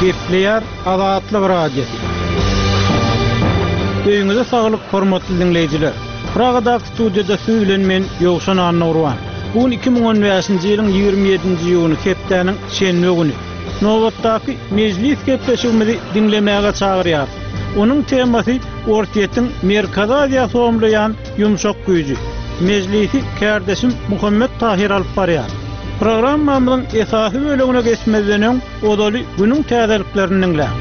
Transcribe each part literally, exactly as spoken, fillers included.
Gepleýär Azatlyk Radiosy. Öýüňize saglyk, hormatly diňleýjiler. Pragadaky studiýada siz bilen men Ýowşan Annagurban. Bu gün iki müň on bäşinji ýylyň ýigrimi ýedinji iýuny, hepdäniň şenbe güni. Nobatdaky mejlis gepleşigimizi diňlemäge çagyrýarys. Onuň temasy Orsýetiň Merkezi Aziýa somlaýan ýumşak güýji. Mejlisi kärdeşim Muhammet Tahir alyp barýar. Programmamyzyň esasy bölegine geçmezden öň ozaly günüň täzeliklerini diňläň.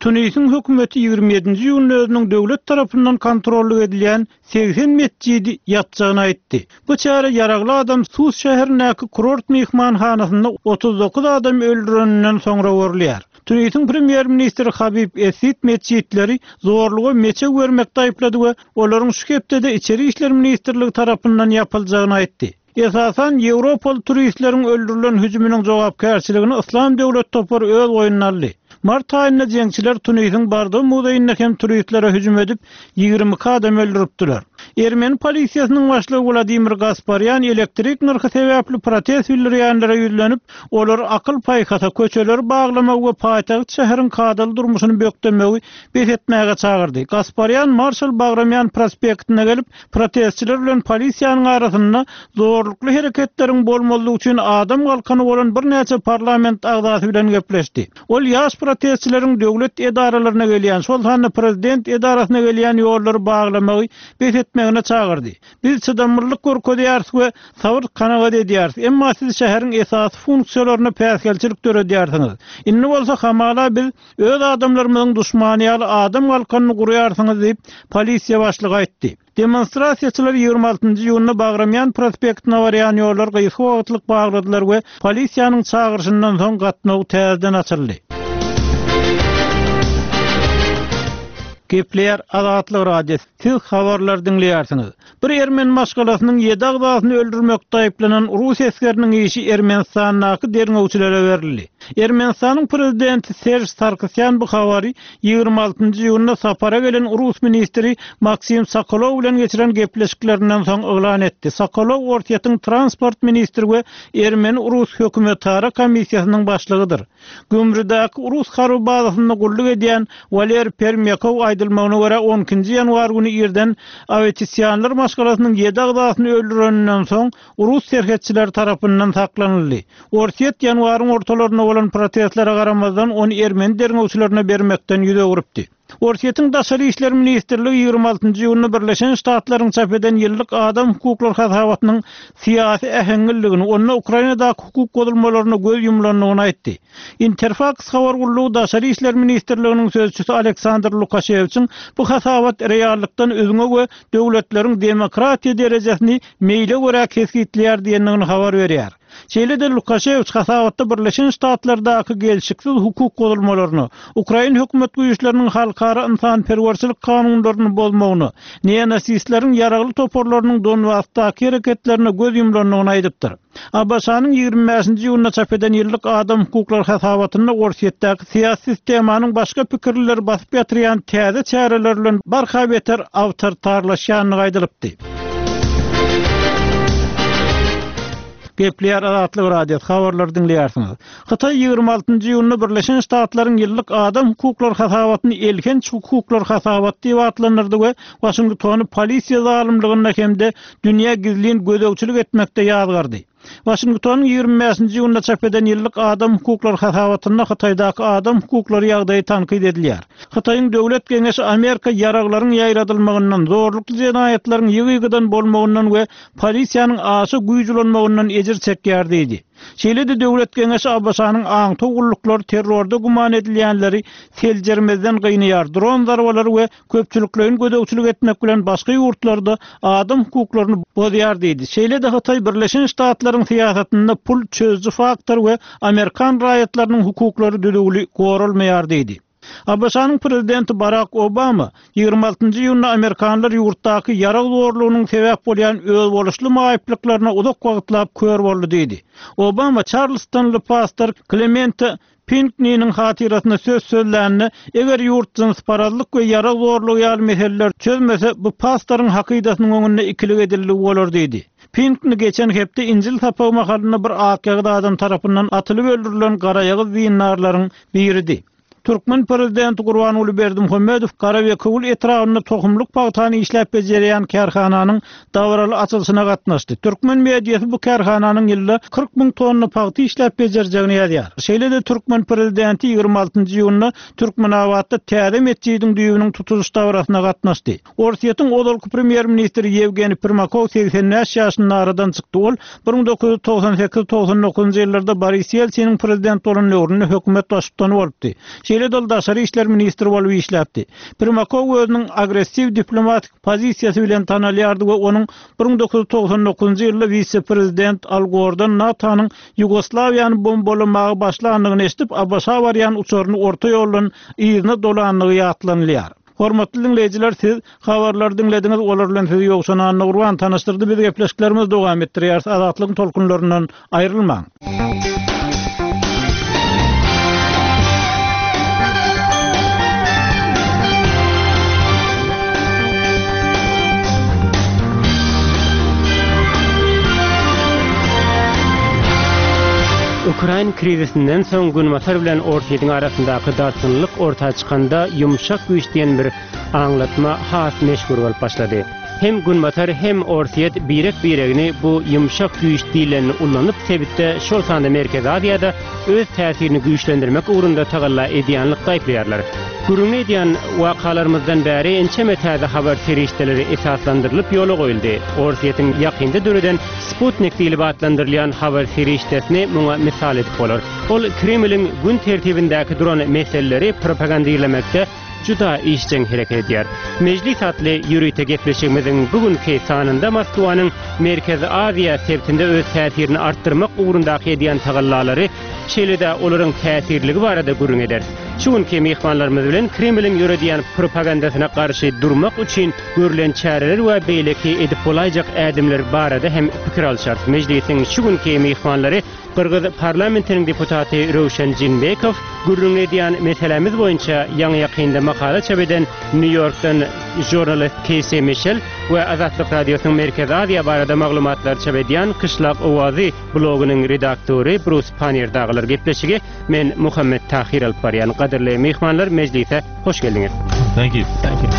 Tunisiň hökümeti ýigrimi ýedinji iýunda özüniň döwlet tarapyndan kontrollyk edilýän segsen metjidi ýapjagyny aýtdy. Bu çäre ýaragly adam Sus şäherindäki kurort myhmanhanasynda otuz dokuz adamy öldüreninden soňra görülýär. Tunisiň premýer-ministri Habib Essid metjitleri zorluga meçew bermekde aýyplady we olaryň şu hepdede Içeri işler ministrligi tarapyndan ýapyljagyny aýtdy. Esasan Ýewropaly turistleriň öldürilen hüjüminiň jogapkärçiligini Yslam döwlet topary öz boýnuna aldy. Mart aýynda jeňçiler Tunisiň Bardo muzeýinde hem turistlere hüjüm edip, ýigrimi iki adam öldüripdiler. Ermeni polisiýasynyň başlygy Wladimir Gasparýan elektrik nyrhy sebäpli protest bildirýänlere ýüzlenip, olary akyl-paýhasa, köçeleri baglamagy we paýtagt şäheriň kadaly durmuşyny bökdemegi bes etmäge çagyrdy. Gasparýan Marşal Bagramýan prospektine gelip, protestçiler bilen polisiýanyň arasynda zorlukly hereketleriň bolmazlygy üçin adam galkany bolan birnäçe parlament agzasy bilen gepleşdi. Ol ýaş protestçileriň döwlet edaralaryna gelýän, şol sanda prezident edarasyna gelýän ýollary baglamagy bes etmegine çagyrdy. Biz çydamlylyk görkezýäris we sabyr kanagat edýäris, emma siz şäheriň esasy funksiýalaryna päsgelçilik döredýärsiňiz. Indi bolsa hamala biz öz adamlarymyzyň duşmany ýaly adam galkanyny gurýarsyňyz diýip, polisiýa başlygy aýtdy. Demonstrasiýaçylar ýigrimi altynjy iýunda Bagramýan prospektine barýan ýollar gysga wagtlyk bagladylar we polisiýanyň çagyryşyndan soň gatnaw täzeden açyldy. Gepleýär Azatlyk Radiosy. Siz habarlar diňleýärsiňiz. Bir ermeni maşgalasynyň ýedi agzasyny öldürmekde aýyplanan rus esgeriniň işi Ermenistandaky derňewçilere berildi. Ermenistanyň prezidenti Serj Sarkisýan bu habary ýigrimi altynjy iýunda sapara gelen rus ministri Maksim Sokolow bilen geçiren gepleşiklerinden soň yglan etdi. Sokolow Orsýetiň transport ministri we ermeni-rus hökümetara komissiýasynyň başlygydyr. Gümrüdäki rus harby bazasynda gulluk edýän Waler Permýakow aýdylmagyna görä on ikinji ýanwar güni irden Awetisýanlar maşgalasynyň ýedi agzasyny öldüreninden soň rus serhetçileri tarapyndan saklanyldy. Orsýet ýanwaryň ortalarynda bolan protestlere garamazdan ony ermeni derňewçilerine bermekden ýüz öwrüpdi. Orsýetiň Daşary işler ministrligi ýigrimi altynjy iýunda Birleşen Ştatlaryň çap eden ýyllyk adam hukuklary hasabatynyň syýasy äheňliligini, onda Ukrainadaky hukuk bozulmalaryna göz ýumlandygyny aýtdy. Interfaks habar gullugy Daşary işler ministrliginiň sözçüsi Aleksandr Lukaşewiçiň bu hasabat reallykdan üzňe we döwletleriň demokratiýa derejesini meýle görä kesgitleýär diýendigini habar berýär. Şeýle-de Lukaşewiç hasabatda Birleşen Ştatlardaky gelşiksiz hukuk bozulmalaryna, Ukrain hökümet güýçleriniň halkara ynsanperwerçilik kanunlaryny bozmagyna, neonasistleriň ýaragly toparlarynyň Donbasdaky hereketlerine göz ýumlandygyny aýdypdyr. A B Ş-nyň ýigrimi bäşinji iýunda çap eden ýyllyk adam hukuklary hasabatynda Orsýetdäki syýasy sistemanyň başga pikirlileri basyp ýatyrýan täze çäreler bilen barha beter awtoritarlaşýandygy aýdylypdy. Gepleýär Azatlyk Radiosy, habarlary diňleýärsiňiz. Hytaý ýigrimi altynjy iýunda Birleşen Ştatlaryň ýyllyk adam hukuklary hasabatyny elhenç hukuklar hasabaty diýip atlandyrdy we Waşingtony polisiýa zalymlygynda hem-de dünýä gizlin gözegçilik etmekde ýazgardy. Waşingtonyň ýigrimi bäşinji iýunda çap eden ýyllyk adam hukuklary hasabatynda Hytaýdaky adam hukuklary ýagdaýy tankyt edilýär. Hytaýyň Döwlet Geňeşi Amerika ýaraglaryň ýaýradylmagyndan, zorlukly jenaýatlaryň ýygy-ýygydan bolmagyndan we polisiýanyň aşa güýç ulanmagyndan ejir çekýär diýdi. Şeýle-de Döwlet Geňeşi A B Ş-nyň aňtaw gulluklary terrorda güman edilýänleri seljermezden gynaýar, dron zarbalary we köpçülikleýin gözegçilik etmek bilen başga ýurtlarda adam hukuklaryny bozýar diýdi. Şeýle-de Hytaý Birleşen Ştatlaryň syýasatynda pul çözüji faktor we Amerikan raýatlarynyň hukuklary düzüwli goralmaýar diýdi. A B Ş-nyň prezidenti Barak Obama ýigrimi altynjy iýunda Amerikanlar ýurtdaky ýarag zorlugynyň sebäp bolýan özboluşly maýyplyklaryna uzak wagtlap kör boldy diýdi. Obama Çarlstonly pastor Klemente Pinkniniň hatyrasyna söz sözlände, eger ýurt jynsparazlyk we ýarag zorlugy ýaly meseleler çözmese, bu pastoryň hakydasynyň öňünde ikilik edildigi bolar diýdi. Pinkni geçen hepde Injil sapagy mahalynda bir akýagyz adam tarapyndan atylyp öldürilen garaýagyz dindarlaryň biridi. Türkmen prezidenti Gurbanguly Berdimuhamedow Garabekewül etrabynda tohumlyk pagtany işläp bejerýän kärhananyň dabaraly açylyşyna gatnaşdy. Türkmen mediasy bu kärhananyň ýylda kyrk müň tonna pagta işläp bejerjegini ýazýar. Şeýle-de türkmen prezidenti ýigrimi altynjy iýunda Türkmenabatda täze metjidiň düýbüniň tutulyş dabarasyna gatnaşdy. Orsýetiň ozalky premýer-ministri Ýewgeniý Primakow segsen bäş ýaşynda aradan çykdy. Ol bir müň dokuz ýüz togsan sekiz togsan dokuzynjy ýyllarda Boris Ýeltsiniň prezident bolan döwründe hökümet baştutany bolupdy. Şeýle-de ol daşary işler ministri bolup işläpdi. Primakow özüniň agressiw diplomatik pozisiýasy bilen tanalýardy we onuň bir müň dokuz ýüz togsan dokuzynjy ýylda wise-prezident Al Gordan NATO-nyň Ýugoslawiýany bombalamaga başlandygyny eşidip, A B Ş-a barýan uçaryny orta ýoldan yzyna dolandygy ýatlanylýar. Hormatly diňleýjiler, siz habarlary diňlediňiz, olar bilen sizi Ýowşan Annagurban tanyşdyrdy. Biz gepleşiklerimizi dowam etdirýäris. Azatlygyň tolkunlaryndan aýrylmaň. Ukrayn krizisinden soň Günbatar bilen Orsýetiň arasyndaky dartgynlyk orta çykanda ýumşak güýç diýen bir aňlatma has meşhur bolup başlady. Hem Günbatar hem Orsýet birek-biregini bu ýumşak güýç diýlenini ulanyp sebitde şol sanda Merkezi Aziýada öz täsirini güýçlendirmek ugrunda tagalla edýänlik aýyplaýarlar. Gürrüňini edýän wakalarymyzdan bäri ençeme täze habar serişdeleri esaslandyrylyp ýola goýuldy. Orsýetiň ýakynda döreden Sputnik diýlip atlandyrylýan habar serişdesini muňa misal edip bolar. Ol Kremliň gün tertibindäki duran meseleleri propagandirlemekde juda işjeň hereket edýär. Mejlis atly ýörite gepleşigimiziň bugünkü sanynda Moskwanyň Merkezi Aziýa sebitinde öz täsirini artdyrmak ugrundaky edýän tagallalary, şeýle-de olaryň täsirligi barada gürrüň ederis. Şu günki myhmanlarymyz bilen Kremliň ýöredýän propagandasyna garşy durmak üçin görülen çäreler we beýleki edip bolaýjak ädimler barada hem pikir alşarys. Mejlisiň şu günki myhmanlary Gyrgyz parlamentiniň deputaty Röwşen Jeenbekow, gürrüň edýän meselemiz boýunça ýaňy ýakynda makala çap eden Nýu-Ýorkdan žurnalist Keýsi Mişel we Azatlyk Radiosynyň Merkezi Aziýa barada maglumatlar çap edýän Kyşlak Owazy blogynyň redaktory Brus Panniýer dagylar. Gepleşigi men Muhammet Tahir alyp barýan. Gadyrly myhmanlar, mejlise hoş geldiňiz. Thank you. Thank you.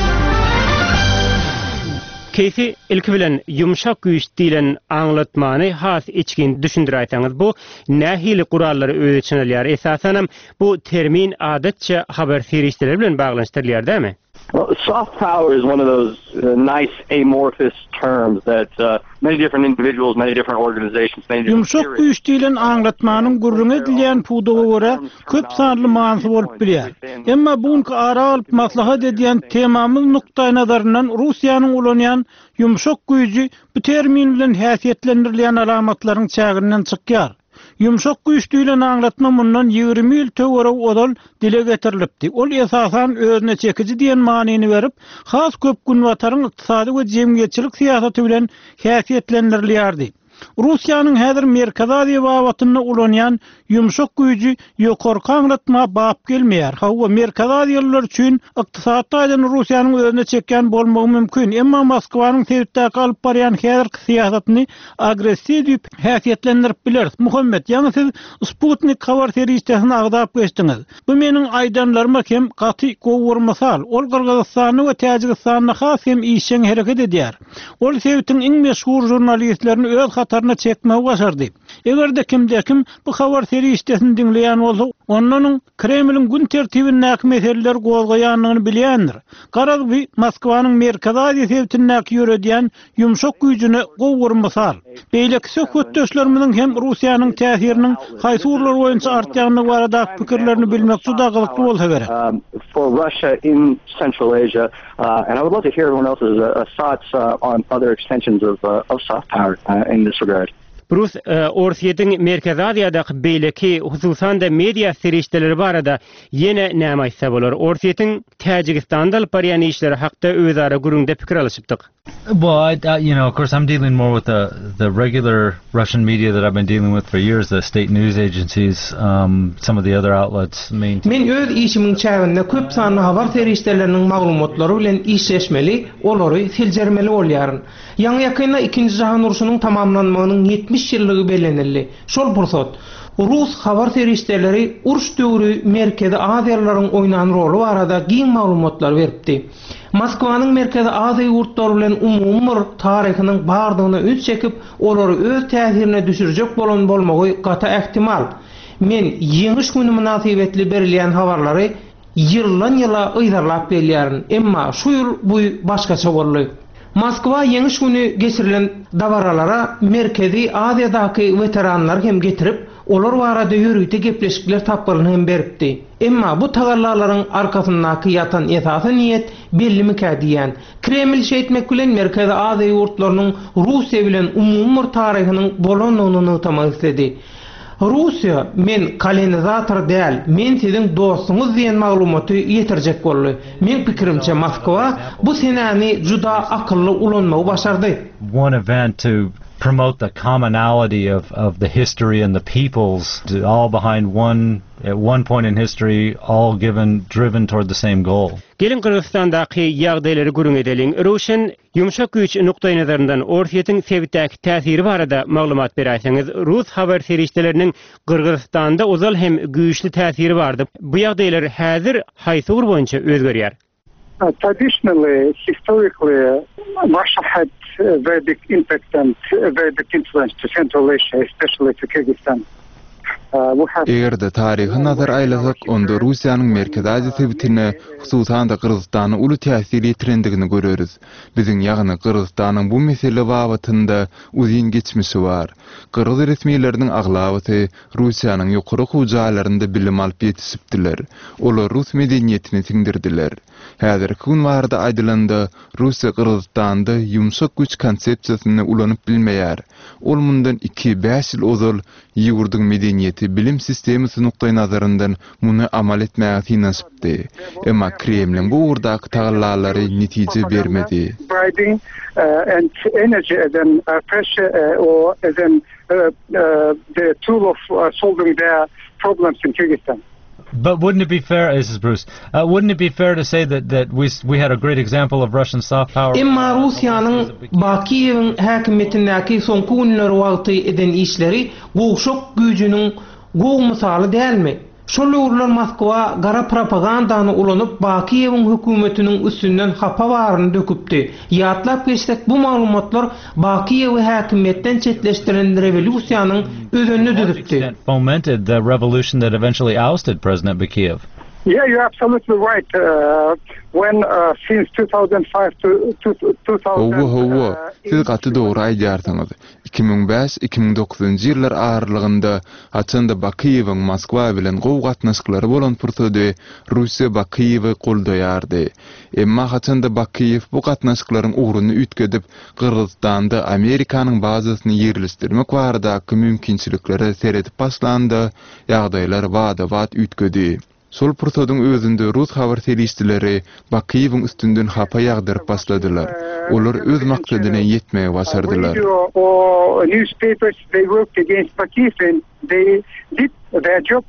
Keýsi, ilki bilen ýumşak güýç diýlen aňlatmany has içgin düşündiräýseňiz, bu nähili gurallary öz içine alýar? Esasanam bu termin adatça habar serişdeleri bilen baglanyşdyrylýar, dämi? Well, soft power is one of those uh, nice amorphous terms that uh, many different individuals, many different organizations, many different Ýumşak güýç diýlen aňlatmanyň gürrüň edilýän pudaga görä köp sanly manysy bolup bilýär. Emma bu günki ara alyp maslahat edýän temamyz nukdaýnazaryndan Russiýanyň ulanýan ýumşak güýji bu termin bilen häsiýetlendirilýän alamatlaryň çäginden çykýar. Ýumşak güýç diýlen aňlatma mundan ýigrimi ýyl töweregi ozal dile getirilipdi. Ol esasan özüne çekiji diýen manyny berip, has köp Günbataryň ykdysady we jemgyýetçilik syýasaty bilen häsiýetlendirilýärdi. Russiýanyň häzir Merkezi Aziýa babatynda ulanýan ýumşak güýji ýokarky aňlatma bap gelmeýär. Hawa, Merkezi Aziýalylar üçin ykdysady taýdan Russiýanyň özüne çekýän bolmagy mümkin, emma Moskwanyň sebitdäki alyp barýan häzirki syýasatyny agressiw diýip häsiýetlendirip bileris. Muhammet, ýaňy siz Sputnik habar serişdesini agzap geçdiňiz. Bu meniň aýdanlaryma hem gaty gowy bir mysal. Ol Gyrgyzystanda we Täjigistanda has hem işjeň hereket edýär. Ol sebitiň iň meşhur žurnalistlerini öz hataryna çekmegi başardy. Eger-de kimde kim bu habar serişdesini diňleýän bolsa, ondan Kremliň gün tertibindäki meseleler gozgaýandygyny bilýändir. Garaz, bu Moskwanyň Merkezi Aziýa sebitindäki ýöredýän ýumşak güýjüne gowy bir mysal. Beýleki söhbetdeşlerimiziň hem Russiýanyň täsiriniň haýsy ugurlar boýunça artýandygy baradaky pikirlerini bilmek juda gyzykly bolsa gerek. Um, for Russia in Central Asia, uh, and I would love to hear everyone else's uh, thoughts uh, on other extensions of, uh, of soft power uh, in this regard. Brus Orsýetiň Merkezi Aziýadaky beýleki hususan-da media serişdeleri barada ýene näme aýtsa bolar? Orsýetiň Täjigistanda alyp barýan işleri hakda özara gürrüňde pikir alyşypdyk. Well, I, I, you know, of course, I'm dealing more with the the regular Russian media that I've been dealing with for years, the state news agencies, um, some of the other outlets. Men öz işimiň çäginde köp sanly habar serişdeleriniň maglumatlary bilen işleşmeli, olary seljermeli bolýaryn. Ýaňy ýakynda Ikinji Jahan urşunyň tamamlanmagynyň ýetmiş ýyllygy bellenildi. Şol pursat Rus habar serişdeleri uruş döwri Merkezi Aziýalylaryň oýnan roly barada giň maglumatlar beripdi. Moskwanyň Merkezi Aziýa ýurtlary bilen umumy bir taryhynyň bardygyna üns çekip, olary öz täsirine düşürjek bolan bolmagy gaty ähtimal. Men Ýeňiş güni mynasybetli berilýän habarlary ýyldan ýyla yzarlap gelýärin. Emma şu ýyl bu başgaça boldy. Moskwa Ýeňiş güni geçirilen dabaralara Merkezi Aziýadaky weteranlary hem getirip, olar barada ýörite gepleşikler tapgyryny hem beripdi. Emma bu tagallalaryň arkasyndaky ýatan esasy niýet bellimikä diýýän. Kreml şeýtmek bilen Merkezi Aziýa ýurtlarynyň Russiýa bilen umumy bir taryhynyň bolandygyny nygtamak isledi. Russiýa men kolonizator däl, men siziň dostuňyz diýen maglumaty ýetirjek boldy. Meň pikirimçe Moskwa bu senäni juda akylly ulanmagy başardy. One event to promote the commonality of, of the history and the peoples, all behind one at one point in history, all given driven toward the same goal. Geliň Gyrgyzystandaky ýagdaýlary gürrüň edeliň. Röwşen ýumşak güýç nukdaýnazaryndan Orsýetiň sebitdäki täsiri barada maglumat beräýseňiz, Rus habar serişdeleriniň Gyrgyzystanda ozal hem güýçli täsiri bardy. Bu ýagdaýlar häzir haýsy ugur boýunça özgerýär? Uh, traditionally, historically, Russia had a very big impact and a very big influence to Central Asia, especially to Kyrgyzstan. Uh, we have Eger-de taryhy nazar aýlasak, onda Russiýanyň Merkezi Aziýa sebitine, hususan-da Gyrgyzystana uly täsir ýetirendigini göreris. Biziň ýagny Gyrgyzystanyň bu mesele babatynda uzyn geçmişi bar. Gyrgyz resmileriniň aglabasy Russiýanyň ýokary okuw jaýlarynda bilim alyp ýetişipdiler. Olar rus medeniýetini siňdirdiler. Häzirki gün barada aýdylanda, Russiýa Gyrgyzystanda ýumşak güýç konsepsiýasyny ulanyp bilmeýär. Ol mundan iki-bäş ýyl ozal ýurduň medeniýeti bilim sistemasy nukdaýnazaryndan muny amal etmäge synanyşypdy. Emma Kremliň bu ugurdaky tagallalary netije bermedi. bribing uh, and energy as an uh, pressure uh, or as an uh, uh, the tool of uh, solving their problems in Kyrgyzstan. But wouldn't it be fair, this is Bruce, uh, wouldn't it be fair to say that, that we, we had a great example of Russian soft power? Emma Russiýanyň Bakiýewiň häkimiýetindäki soňky günleri wagty eden işleri gowşak güýjüniň gowy mysaly dälmi? Şol döwürler Moskwa gara propagandany ulanyp Bakiýewiň hökümetiniň üstünden hapa baryny döküpdi. Ýatlap geçsek bu maglumatlar Bakiýewi häkimiýetden çetleşdiren rewolýusiýanyň özenini düzüpdi. Fomented the revolution that eventually ousted President Bakiyev. Yeah, you're absolutely right. Uh, when uh, since two thousand five to, to two thousand Hawa, hawa, siz gaty dogry aýdýarsyňyz. iki müň bäş-iki müň dokuzynjy ýyllar aralygynda haçanda Bakiýewiň Moskwa bilen gowy gatnaşyklary bolan pursady Russiýa Bakiýewi goldaýardy. Emma haçanda Bakiýew bu gatnaşyklaryň ugruny üýtgedip, Gyrgyzystanda Amerikanyň bazasyny ýerleşdirmek baradaky mümkinçiliklere seredip başlanda, ýagdaýlar bada-bat üýtgedi. Şol pursadyň özünde rus habar serişdeleri Bakiýewiň üstünden hapa ýagdyryp başladylar. Olar öz maksadyna ýetmegi başardylar. Radio or newspapers, they worked against Bakiyev and they did their job.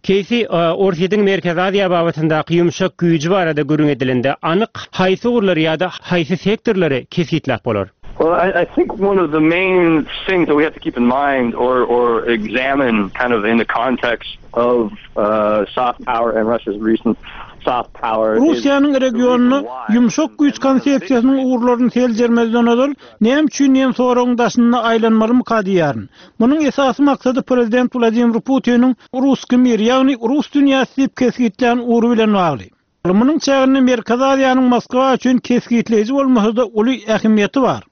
Keýsi Orsýetiň Merkezi Aziýa babatyndaky ýumşak güýji barada gürrüň edilende anyk haýsy ugurlary ýa-da haýsy sektorlary kesgitläp bolar? Well, I, I think one of the main things that we have to keep in mind or, or examine kind of in the context of uh, soft power and Russia's recent soft power is Russiýanyň regionyny ýumşak güýç konsepsiýasynyň ugurlaryny seljermezden ozal näme üçin diýen soragyň daşynda aýlanmalymyka diýýärin. Munuň esasy maksady prezident Wladimir Putiniň Ruski mir, ýagny Rus dünýäsi diýip kesgitlän ugry bilen bagly. Munuň çäginde Merkezi Aziýanyň Moskwa üçin kesgitleýji bolmasa-da uly ähmiýeti bar.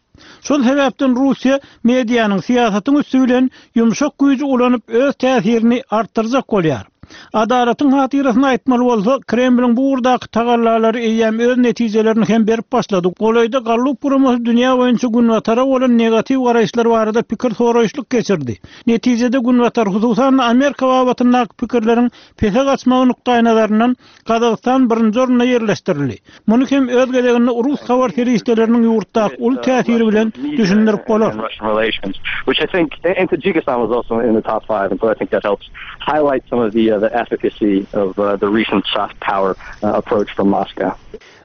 Şol sebäpden Russiýa medianyň syýasatyň üsti bilen ýumşak güýji ulanyp öz täsirini artdyrjak bolýar. Adalatyň hatyrasyny aýtmaly bolsa, Kremliň bu ugurdaky tagallalary eýýäm öz netijelerini hem berip başlady. Golaýda Gallup guramasy dünýä boýunça Günbatara bolan negatiw garaýyşlar barada pikir soraýyşlyk geçirdi. Netijede Günbatar, hususan Amerika babatyndaky pikirleriň pese gaçmagy nukdaýnazaryndan Gazagystan birinji orunda ýerleşdirildi. Muny hem öz gezeginde Rus habar serişdeleriniň ýurtdaky uly täsiri bilen düşündirip bolar. and Russian relations, which I think, and Tajikistan was also in the top five, and so I think that helps highlight some of the uh, the efficacy of uh, the recent soft power uh, approach from Moscow.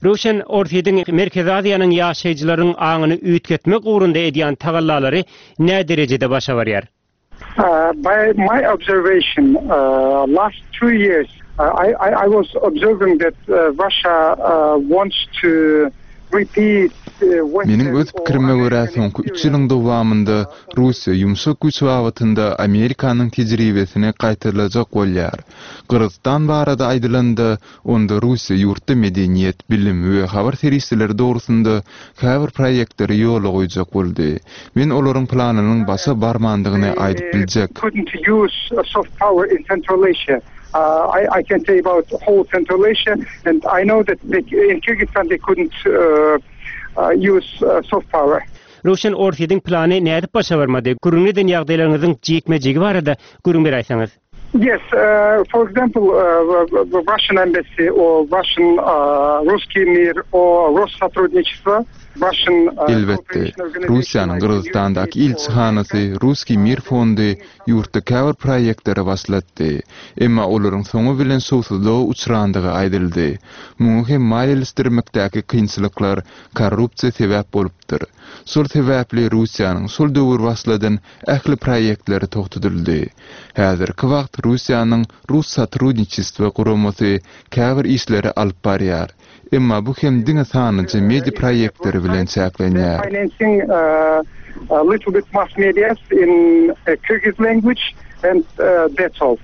Röwşen Orsýetiň Merkezi Aziýanyň ýaşaýjylaryň aňyny üýtgetmek ugrunda edýän tagallalary nä derejede başa barýar? Uh, by my observation, uh, last two years, uh, I, I, I was observing that uh, Russia uh, wants to repeat uh, Meniň öz pikirime görä soňky üç ýylyň dowamynda Russiýa ýumşak güýç babatynda Amerikanyň tejribesini gaýtalajak bolýar. Gyrgyzystan barada aýdylanda, onda Russiýa ýurtda medeniýet, bilim we habar serişdeleri dogrusynda käbir proýektleri ýola goýjak boldy. Men olaryň planynyň başa barmandygyny aýdyp biljek. couldn't use uh, soft power in Central Asia. Uh, I, I can say about whole Central Asia, and I know that they, in Kyrgyzstan they couldn't uh, uh, use uh, soft power. Röwşen Orsýetiň plany nädip başa barmady? Gürrüň eden ýagdaýlaryňyzyň jikme-jigi barada gürrüň beräýseňiz. Yes, uh, for example, uh, the Russian embassy or Russian uh, Ruski Mir or Rossotrudnichestvo, Russian uh, Elbetde, Russiýanyň Gyrgyzystandaky ilçihanasy Ruski Mir fondy ýurtda käbir proýektleri başlatdy. Emma olaryň soňy bilen şowsuzlyga uçrandygy aýdyldy. Muňa hem maliýeleşdirmekdäki kynçylyklar, korrupsiýa sebäp bolupdyr. Şol sebäpli Russiýanyň şol döwür başladan ähli proýektleri togtadyldy. Häzirki wagt Russiýanyň Rossotrudnichestvo guramasy käbir işleri alyp barýar. Emma bu hem diňe sanlyja media proýektleri bilen çäklenýär. financing uh, a little bit mass media in uh, Kyrgyz language, and uh, that's all.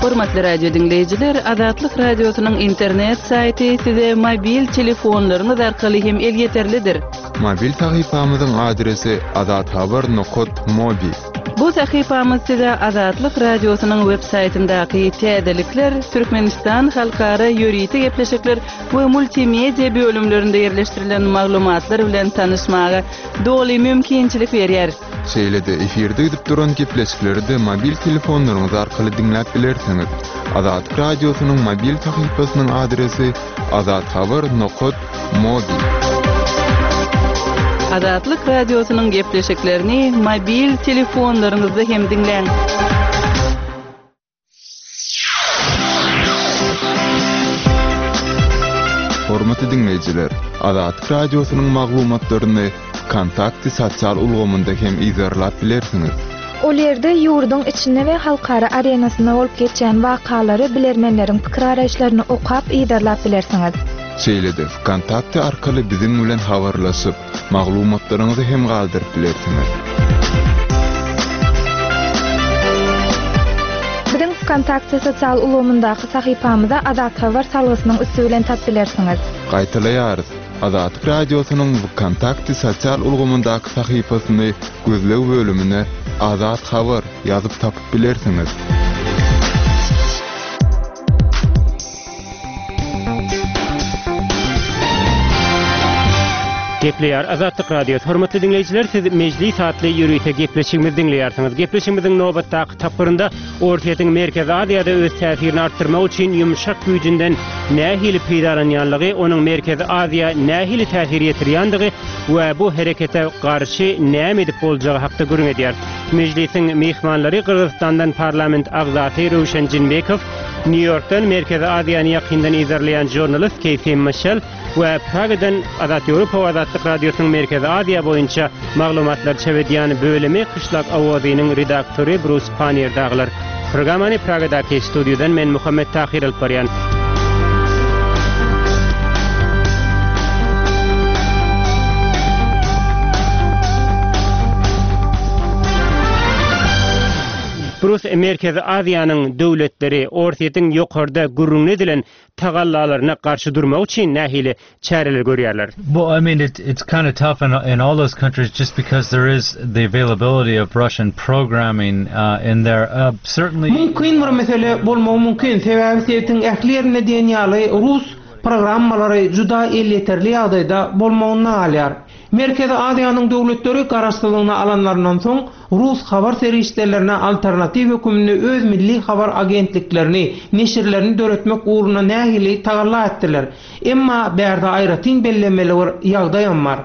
Hormatly radio diňleýjiler, Azatlyk radiosynyň internet saýty size mobil telefonlaryňyz arkaly hem elýeterlidir. Mobil sahypamyzyň adresi azathabar.mobi. Bu sahypamyz size Azatlyk radiosynyň web saýtyndaky täzelikler, Türkmenistan halkara ýörite gepleşikler we multimedia bölümlerinde ýerleşdirilen maglumatlar bilen tanyşmaga doly mümkinçilik berýär. Şeýle-de efirde gidip duran gepleşikleri de mobil telefonlaryňyz arkaly diňläp bilersiňiz. Azatlyk radiosynyň mobil sahypasynyň adresi azathabar.mobi. Azatlyk radiosynyň gepleşiklerini mobil telefonlaryňyzda hem diňläň. Hormatly diňleýjiler, Azatlyk radiosynyň maglumatlaryny Kontakty sosial ulgamynda hem yzarlap bilersiňiz. Ol ýerde ýurduň içinde we halkara arenasynda bolup geçýän wakalary bilermenleriň pikir araýyşlaryny okap yzarlap bilersiňiz. Şeýle-de Kontakty arkaly biziň bilen habarlaşyp, maglumatlaryňyzy hem galdyryp bilersiňiz. Biziň Kontakty sosial ulgamyndaky sahypamyza Azat Habar salgysynyň üsti bilen tap bilersiňiz. Gaýtalaýarys. Azatlyk radiosynyň Kontakty sosial ulgamyndaky sahypasyny gözleg bölümine Azat Habar ýazyp tapyp bilersiňiz. Gepleýär Azatlyk Radiosy. Hormatly diňleýjiler, siz Mejlis atly ýörite gepleşigimizi diňleýärsiňiz. Gepleşigimiziň nobatdaky tapgyrynda Orsýetiň Merkezi Aziýada öz täsirini artdyrmak üçin ýumşak güýjünden nähili peýdalanýanlygy, onuň Merkezi Aziýa nähili täsir ýetirýändigi we bu herekete garşy näme edip boljagy hakda gürrüň edýär. Mejlisiň mehmanlary Gyrgyzystandan parlament agzasy Röwşen Jinbekow, Nýu-Ýorkdan Merkezi Aziýany ýakyndan yzarlaýan žurnalist Keýfi Mişel we Pragadan Azat Ýewropa we Azatlyk Radiosynyň Merkezi Aziýa boýunça maglumatlar çap edýän bölümi Kyşlak Owazynyň redaktory Brus Panier daglar. Programmany Pragadaky studiýadan men Muhammet Tahir alyp barýan. Brus Brýus, Merkezi Aziýanyň döwletleri Orsýetiň ýokarda gürrüňi edilen tagallalaryna garşy durmak üçin nähili çäreler görýärler? Well, I mean, it, it's kind of tough in, in all those countries just because there is the availability of Russian programming uh, in there. Uh, certainly... Mümkin bir mesele bolmagy mümkin. Sebäbi sebitiň ähli ýerinde diýen ýaly rus programmalary juda elýeterli ýagdaýda bolmagyna galýar. Merkezi Aziýanyň döwletleri garaşsyzlygyny alanlaryndan soň rus habar serişdelerine alternatiw hökmünde öz milli habar agentliklerini, neşirlerini döretmek ugrunda nähili tagalla etdiler. Emma bärde aýratyn bellemeli bir ýagdaý bar.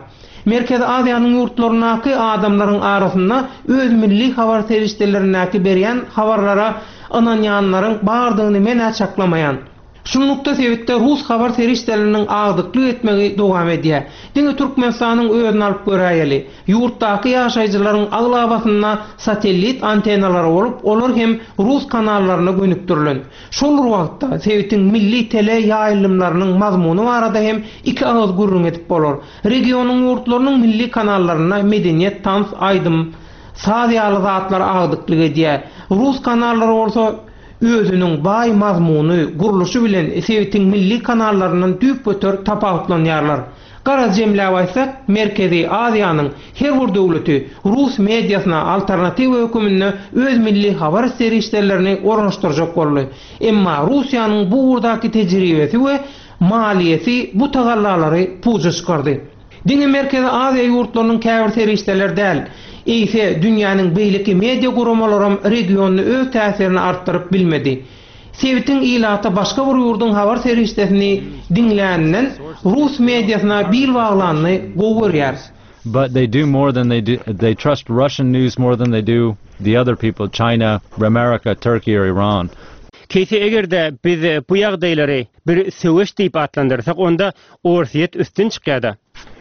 Merkezi Aziýanyň ýurtlaryndaky adamlaryň arasynda öz milli habar serişdelerindäki berýän habarlara ynanýanlaryň bardygyny men çaklamaýan. Şunlukda sebitde rus habar serişdeleriniň agdyklyk etmegi dowam edýär. Diňe Türkmenistanyň özüni alyp göräýeli. Ýurtdaky ýaşaýjylaryň aglabasynda satellit antenalary bolup, olar hem rus kanallaryna gönükdirilen. Şol wagtda sebitiň milli tele ýaýlymlarynyň mazmuny barada hem iki agyz gürrüň edip bolar. Regionyň ýurtlarynyň milli kanallaryna medeniýet, tans, aýdym, saz ýaly zatlar agdyklyk edýär. Rus kanallary bolsa özüniň baý mazmuny, gurluşy bilen sebitiň milli kanallaryndan düýpgöter tapawutlanýarlar. Garaz jemläp aýtsak, Merkezi Aziýanyň her bir döwleti rus mediasyna alternatiw hökmünde öz milli habar serişdelerini ornaşdyrjak boldy. Emma Russiýanyň bu ugurdaky tejribesi we maliýesi bu tagallalary puja çykardy. Diňe Merkezi Aziýa ýurtlarynyň käbir serişdeler däl, eýse dünýäniň beýleki media guramalaram regionda öz täsirini artdyryp bilmedi. Sebitiň ilaty başga bir ýurduň habar serişdesini diňläninden rus mediasyna bil baglanyny gowy görýär. But they do more than they do. They trust Russian news more than they do the other people, China, America, Turkey or Iran. Keýsi eger-de biz bu ýagdaýlary bir söweş diýip atlandyrsak, onda Orsýet üstün çykýar-da.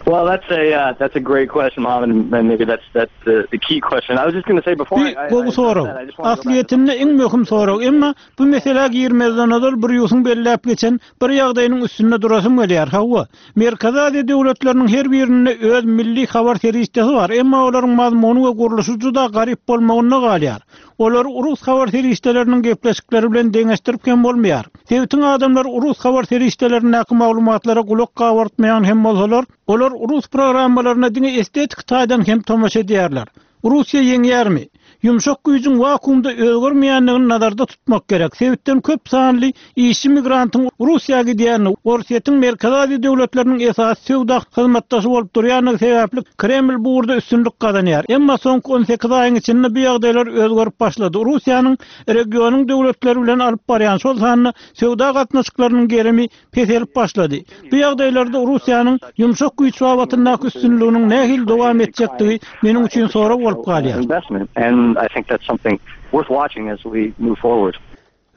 Well, that's a uh, that's a great question, Mohammed, and maybe that's that's the, the key question. I was just going to say before I, I, Bu sorag. Aslyýetinde iň möhüm sorag, emma bu meselä girmezden ozal Brýusyň belläp geçen bir ýagdaýynyň üstünde durasym gelýär. Hawa, Merkezi Aziýa döwletleriniň her birinde öz milli habar serişdesi bar, emma olaryň mazmuny we gurluşy juda garyp bolmagyna galýar. Olar rus habar serişdeleriniň gepleşikleri bilen deňeşdirip hem bolmaýar. Sebitiň adamlar rus habar serişdelerindäki maglumatlara gulak gabartmaýan hem bolsalar, olar rus programmalaryna diňe estetik taýdan hem tomaşa edýärler. Russiýa ýeňýärmi? Ýumşak güýjüň wakuumda özgermeýändigini nazarda tutmak gerek. Sebitden köp sanly işçi migrantyň Russiýa gidýänini, Orsýetiň Merkezi Aziýa döwletleriniň esasy söwda hyzmatdaşy bolup durýandygy sebäpli Kreml bu ugurda üstünlik gazanýar. Emma soňky on sekiz aýyň içinde bu ýagdaýlar özgerip başlady. Russiýanyň regionyň döwletleri bilen alyp barýan şol sanda söwda gatnaşyklarynyň gerimi peselip başlady. Bu ýagdaýlarda Russiýanyň ýumşak güýç babatyndaky üstünliginiň nähili dowam etjekdigi meniň üçin sorag bolup galýar. Investment, and I think that's something worth watching as we move forward.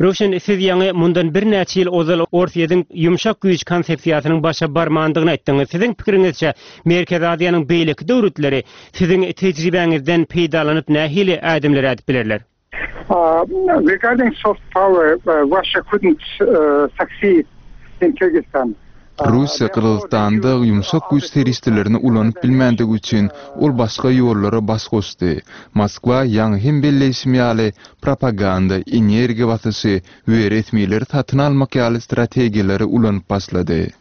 Röwşen, siz ýaňy mundan birnäçe ýyl ozal Orsýetiň ýumşak güýç konsepsiýasynyň başa barmandygyny aýtdyňyz. Siziň pikiriňizçe Merkezi Aziýanyň beýleki döwletleri siziň tejribäňizden peýdalanyp nähili ädimler ädip bilerler? Uh, regarding soft power, uh, Russia couldn't uh, succeed in Kyrgyzstan. Russiýa Gyrgyzystanda ýumşak güýç serişdelerini ulanyp bilmändigi üçin ol başga ýollara baş goşdy. Moskwa ýaňy hem belleýşim ýaly propaganda, energiýa basyşy we resmileri satyn almak ýaly strategiýalary ulanyp başlady.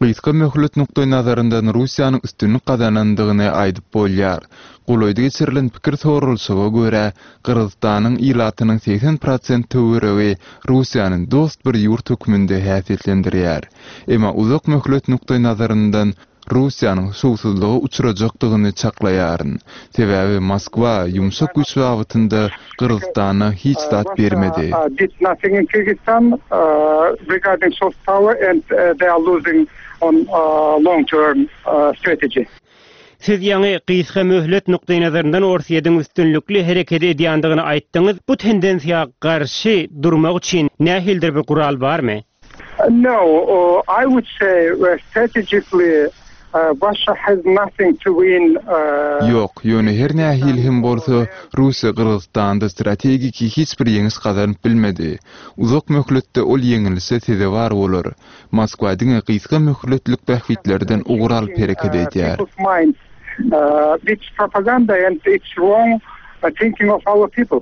Gysga möhlet nukdaý nazaryndan Russiýanyň üstünlik gazanandygyny aýdyp bolýar. Golaýda geçirilen pikir soralyşyga görä, Gyrgyzystanyň ilatynyň segsen prosent töweregi Russiýanyň dost bir ýurt hökmünde häsiýetlendirýär. Emma uzak möhlet nukdaý nazaryndan Russiýanyň şowsuzlyga uçrajakdygyny çaklaýaryn. Sebäbi Moskwa ýumşak güýç babatynda Gyrgyzystana hiç zat bermedi. Uh, did nothing in Kyrgyzstan, uh, regarding soft power and, uh, they are losing on, uh, long-term, uh, strategy. Siz ýaňy gysga möhlet nukdaý nazaryndan Orsýetiň üstünlikli hereket edýändigini aýtdyňyz. Bu tendensiýa garşy durmak üçin nähilidir bir gural barmy? No, uh, I would say, uh, strategically, uh, Russia has nothing to win. Uh, Ýok, ýöne her nähili hem bolsa Russiýa Gyrgyzystanda strategiki hiç bir ýeňiş gazanyp bilmedi. Uzak möhletde ol ýeňilse sezewar bolar. Moskwa diňe gysga möhletlik bähbitlerden ugur alyp hereket edýär. People's minds, uh, it's propaganda and it's wrong, uh, thinking of our people.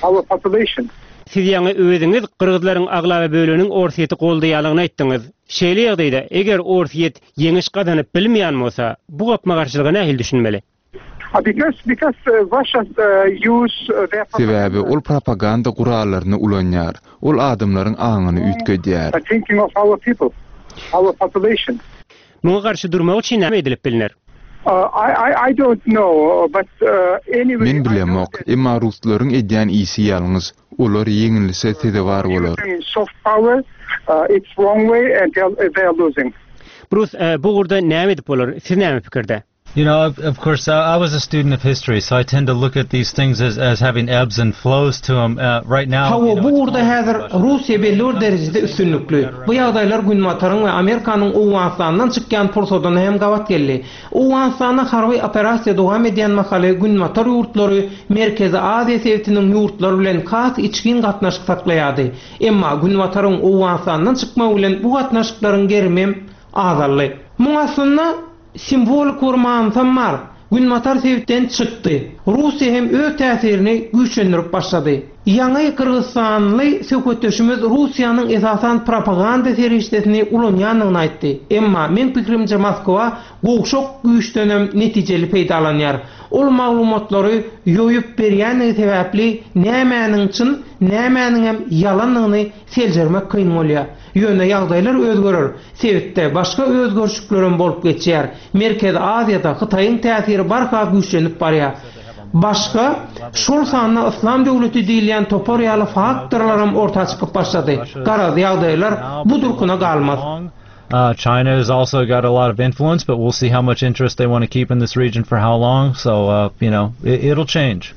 our population. Siz ýaňy özüňiz gyrgyzlaryň aglaba böleginiň Orsýeti goldaýanlygyny aýtdyňyz. Şeýle ýagdaýda eger Orsýet ýeňiş gazanyp bilmeýän bolsa, bu gapma-garşylyga nähili düşünmeli? Uh, because because uh, Russia uh, use uh, their Sebäbi ol propaganda gurallaryny ulanýar. Ol adamlaryň aňyny üýtgedýär. uh, thinking of our people, our population. Muňa garşy durmak üçin näme edilip bilner? Uh, I, I I don't know, but uh, anyway. Men bilemok, emma ruslaryň edýän işi ýalňyş. Olar ýeňilişe sezewar bolar. Using soft power, uh, it's wrong way, and they are, they are losing. Bruce, e, bu ugurda näme edip bolar? Siz näme pikirde? You know, of, of course, I, I was a student of history, so I tend to look at these things as, as having ebbs and flows to them. Uh, right now, Hawa you know, bu it's ugurda häzir Russiýa belli bir derejede üstünlikli. Bu ýagdaýlar Günbataryň we Amerikanyň Owganystandan çykýan pursadyna hem gabat geldi. Owganystanda harby operasiýa dowam edýän mahaly Günbatar ýurtlary Merkezi Aziýa sebitiniň ýurtlary bilen has içgin gatnaşyk saklaýardy. Emma Günbataryň Owganystandan çykmagy bilen bu gatnaşyklaryň gerimi azaldy. Muň aslynda simwolik bir manysam bar. Günbatar sebitden çykdy. Russiýa hem öz täsirini güýçlendirip başlady. Ýaňy Gyrgyzystanly söhbetdeşimiz Russiýanyň esasan propaganda serişdesini ulanýandygyny aýtdy. Emma men pikrimçe Moskwa gowşak güýçdenem netijeli peýdalanýar. Ol maglumatlary ýoýup berýändigi sebäpli nämäniň çyn, nämäniň hem ýalandygyny seljermek kyn bolýar. Ýöne ýagdaýlar özgerer. Sebitde başga özgerişlikler bolup geçýär. Merkezi Aziýada Hytaýyň täsiri barha güýçlenip barýar. Başga şol sanda Islam döwleti diýilýän topar ýaly faktorlar hem orta çykyp başlady. Garaz ýagdaýlar bu durkuna galmaz. Uh, China has also got a lot of influence, but we'll see how much interest they want to keep in this region for how long. So, uh, you know, it, it'll change.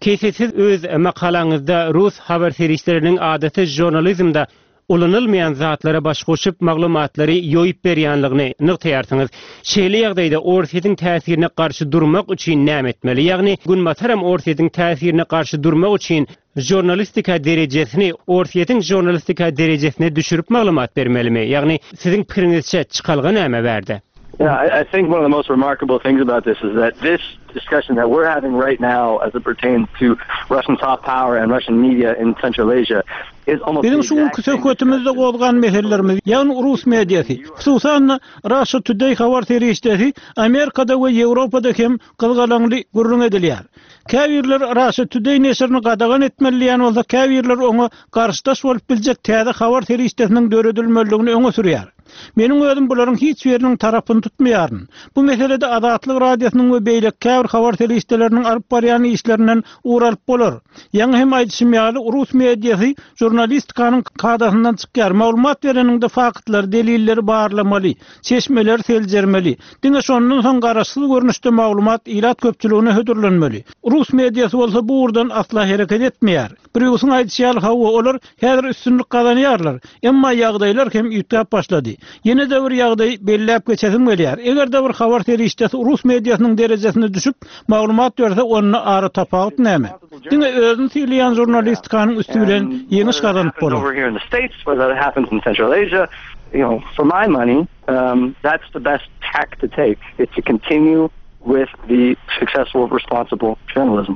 Keýsi siz öz makalaňyzda Rus habar serişdeleriniň adaty žurnalizmde ulanylmaýan zatlara baş goşup maglumatlary ýoýup berýänligini nygtaýarsyňyz. Şeýle ýagdaýda Orsýetiň täsirine garşy durmak üçin näme etmeli? Ýagny Günbataram Orsýetiň täsirine garşy durmak üçin žurnalistika derejesini Orsýetiň žurnalistika derejesine düşürip maglumat bermelimi? Ýagny siziň pikiriňizçe çykalga näme berdi? Yeah, I, I think one of the most remarkable things about this is that this discussion that we're having right now as it pertains to Russian soft power and Russian media in Central Asia is almost Biziň şu günki söhbetimizde gozgan meselelerimiz, ýagny rus mediasy, hususan Russia Today habar serişdesi Amerikada we Ýewropada hem gyzgalaňly gürrüň edilýär. Käbirler Russia Today neşirini gadagan etmeli diýen bolsa, käbirler oňa garşydaş bolup biljek täze habar serişdesiniň döredilmeliligini öňe sürýär. Meniň özüm bularyň hiç biriniň tarapyny tutmaýaryn. Bu meselede Azatlyk radiosynyň we beýleki käbir habar serişdeleriniň alyp barýan işlerinden ugralyp bolar. Ýaňy hem aýdyşym ýaly rus mediasy žurnalistikanyň kadasyndan çykýar. Maglumat bereniňde faktlary, delilleri barlamaly, çeşmeleri seljermeli. Diňe şondan soň garaşsyz görnüşde maglumat ilat köpçüligine hödürlenmeli. Rus mediasy bolsa bu ugurdan asla hereket etmeýär. Brýusyň aýdyşy ýaly hawa olar häzir üstünlik gazanýarlar. Emma ýagdaýlar hem üýtgäp başlady. Ýene de bir ýagdaý belläp geçesim gelýär. Eger de bir habar serişdesi rus mediasynyň derejesine düşüp maglumat berse, onda ara tapawut näme? Diňe özüni sylaýan žurnalistikanyň üstü bilen ýeňiş gazanyp bolar. Over here in the States, whether that happens in Central Asia, you know, for my money, um, that's the best tack to take, is to continue with the successful, responsible journalism.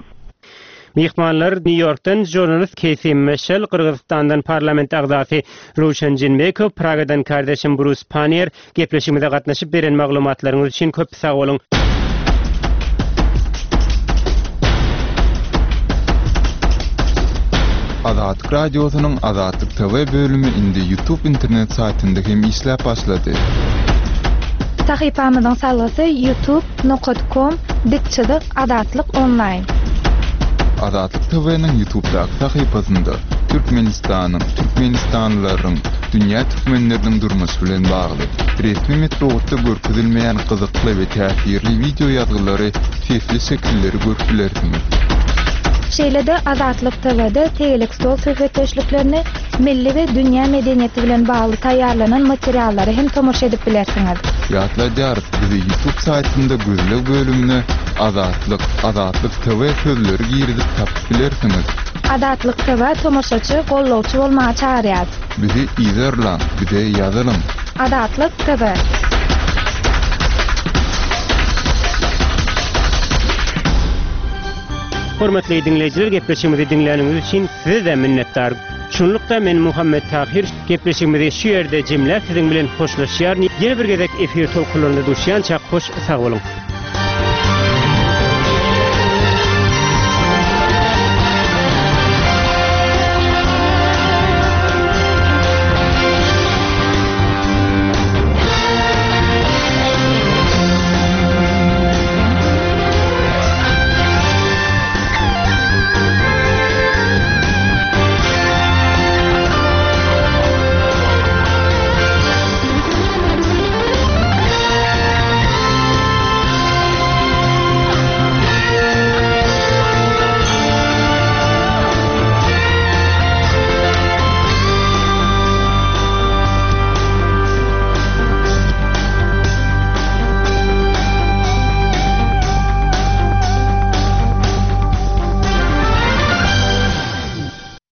Mihmanlar New York'tan jurnalist Casey Michel, Gyrgyzystandan parlament agzasy Röwşen Jeenbekow, Pragadan kardeşim Bruce Pannier gepleşigimize gatnaşyp beren maglumatlaryňyz üçin köp sag boluň. Azatlyk Radiosynyň Azatlyk T V bölümi indi YouTube internet saýtynda hem işläp başlady. Sahypamyzyň salgysy youtube nokta com dik çyzyk Azatlyk online. Azatlyk T V-niň YouTube'daky sahypasynda Türkmenistanyň, Türkmenistanlylaryň, dünýä türkmenleriniň durmuşy bilen bagly resmi metbugatda görkezilmeýän gyzykly we täsirli wideo ýazgylary, sesli şekilleri görüp bilersiňiz. Şeýle-de Azatlyk T V-de tegelek stol söhbetdeşliklerini, milli we dünýä medeniýeti bilen bagly taýýarlanan materiallary hem tomaşa edip bilersiňiz. Ýatladýarys, bizi YouTube saýtynda gözleg bölümine Azatlyk, Azatlyk T V sözleri girizip tapyp bilersiňiz. Azatlyk T V tomaşaçy, gollawçy bolmaga çagyrýar. Bizi izerläň, bize ýazylyň. Azatlyk T V. Hormatly dinleýjiler gepleşigimizi diňläniňiz üçin size minnetdar. Şunlukda men Muhammet Tahir gepleşigimizi şu ýerde jemläp siziň bilen hoşlaşýaryn. Ýene bir gezek efir tolkunlarynda duşýança hoş sag boluň.